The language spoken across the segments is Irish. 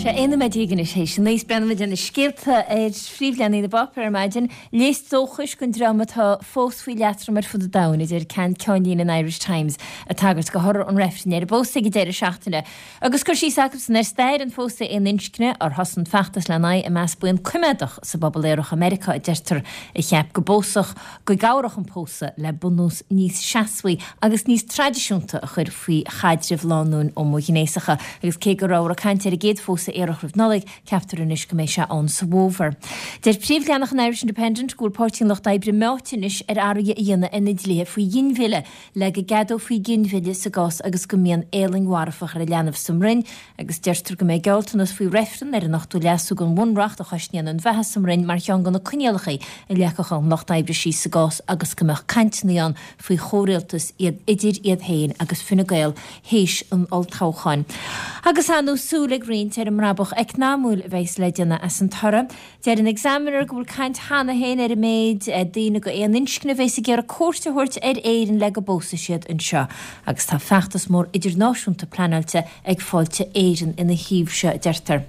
Sé 11 nóiméad anois théis a 9 is breathnóimid ar na scéalta ar phríomhleathanaigh na bpáipéar ar maidin. Léas dóchais don dream atá fós faoi leatrom ar fud an domhain, a deir ceann ceannlíne an Irish Times, ag tagairt do thoradh an reifrinn ar an bpósadh ag an deireadh seachtaine. Agus cur síos acusan ar stair an phósadh aon inscne, ar thosaigh an feachtas lena aghaidh i measc buíon coimeádach sa bpobal aerach i Meiriceá, a deirtear, a cheap go bpósfadh, go gcabhródh an pósadh le bunús níos seasmhaí agus níos traidisiúnta a chur faoi chaidrimh lánúin homaighnéasacha. Agus cé go rabhthar ag caint ar an gcéad phósadh aerach roimh Nollaig, ceaptar anois go mbeidh sé ann sa bhfómhar. Deir príomhleathanach an Irish Independent go bhfuil Páirtí an Lucht Oibre meáite anois ar athruithe a dhéanamh ar na dlíthe faoi ghinmhilleadh le go gceadófaí ginmhilleadh sa gcás agus go mbíonn éalaing mharfach ar an leanbh sa mbroinn agus deirtear go mbeidh gealltanas faoi reifreann ar an ochtú leasú den Bhunreacht a chosnaíonn an bheatha sa mbroinn mar cheann de na coinníollacha a leagfadh an Lucht Oibre síos sa gcás agus go mbeadh cainteanna ann faoi chomhrialtas iad idir iad féin agus Fine Gael théis an olltoghcháin. Agus ar ndóigh súil ag roinnt ar an mbrabach eacnamúil a bheas le déanamh as an toradh. Deir an Examiner go bhfuil caint cheana féin ar an méid daoine d'aon inscne a bheas ag iarraidh cuairt a thabhairt ar Éirinn le go bpósfaidh siad anseo agus tá feachtas mór idirnáisiúnta pleanáilte ag Fáilte Éireann ina thaobh seo, a deirtear.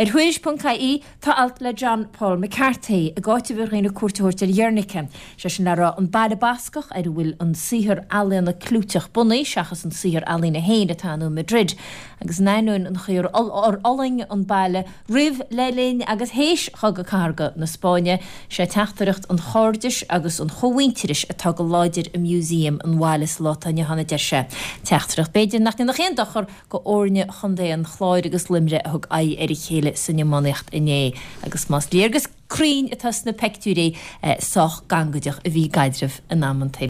Ar Thuairisc.ie tá alt le John Paul McCarthy ag áiteamh ar dhaoine cuairt a thabhairt ar Ghernika, sé sin le rá an baile Bascach ar a bhfuil an saothar ealaíona clúiteach bunaidh seachas an saothar ealaíne féin atá ann i Madrid agus in ainneoin an chaoi ar fhulaing an baile Roimh, le linn agus théis Chogadh Cathartha na Spáinne, sé teachtaireacht an chairdis agus an chómhuintearais atá go láidir i Museum an bhaile sa lá atá inniu ann, a deir sé. Teachtaireacht, b'fhéidir, nach ndéanfadh aon dochar go fhoirne Chontae an Chláir agus Luimnigh a thug aghaidh ar a chéile san iománaíocht inné. Agus más léargas cruinn atá sna peictiúirí, sách gangaideach a bhí a gcaidreamh in amantaí.